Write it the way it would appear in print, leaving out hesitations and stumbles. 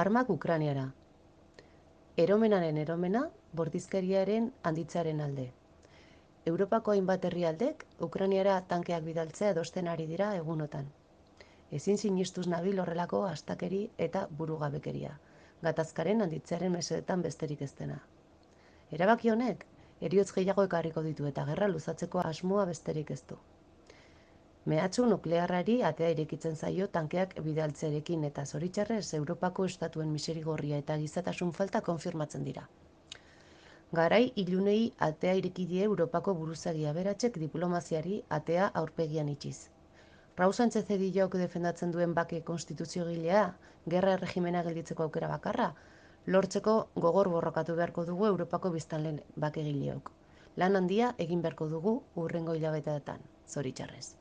Armak Ukraniara. Eromenaren eromena, bortizkeriaren handitzearen alde. Europako hainbat herrialdek Ukraniara tankeak bidaltzea adosten ari dira egunotan. Ezin sinistuz nabil horrelako astakeri eta burugabekeria, gatazkaren handitzearen mesedetan besterik ez dena. Erabaki honek, heriotz gehiago ekarriko ditu eta gerra luzatzeko asmoa besterik ez du. Mehatxu nuklearrari atea irekitzen zaio tankeak bidaltzearekin eta zoritxarrez Europako estatuen miserigorria eta gizatasun falta konfirmatzen dira. Garai ilunei atea ireki die Europako buruzagi aberatsek diplomaziari atea aurpegian itxiz. Raul Sánchez Edillok defendatzen duen bake konstituziogilea, gerra erregimena gelditzeko aukera bakarra, lortzeko gogor borrokatu beharko dugu Europako biztanleen bakegileok. Lan handia egin beharko dugu hurrengo hilabeteetan, zoritxarrez.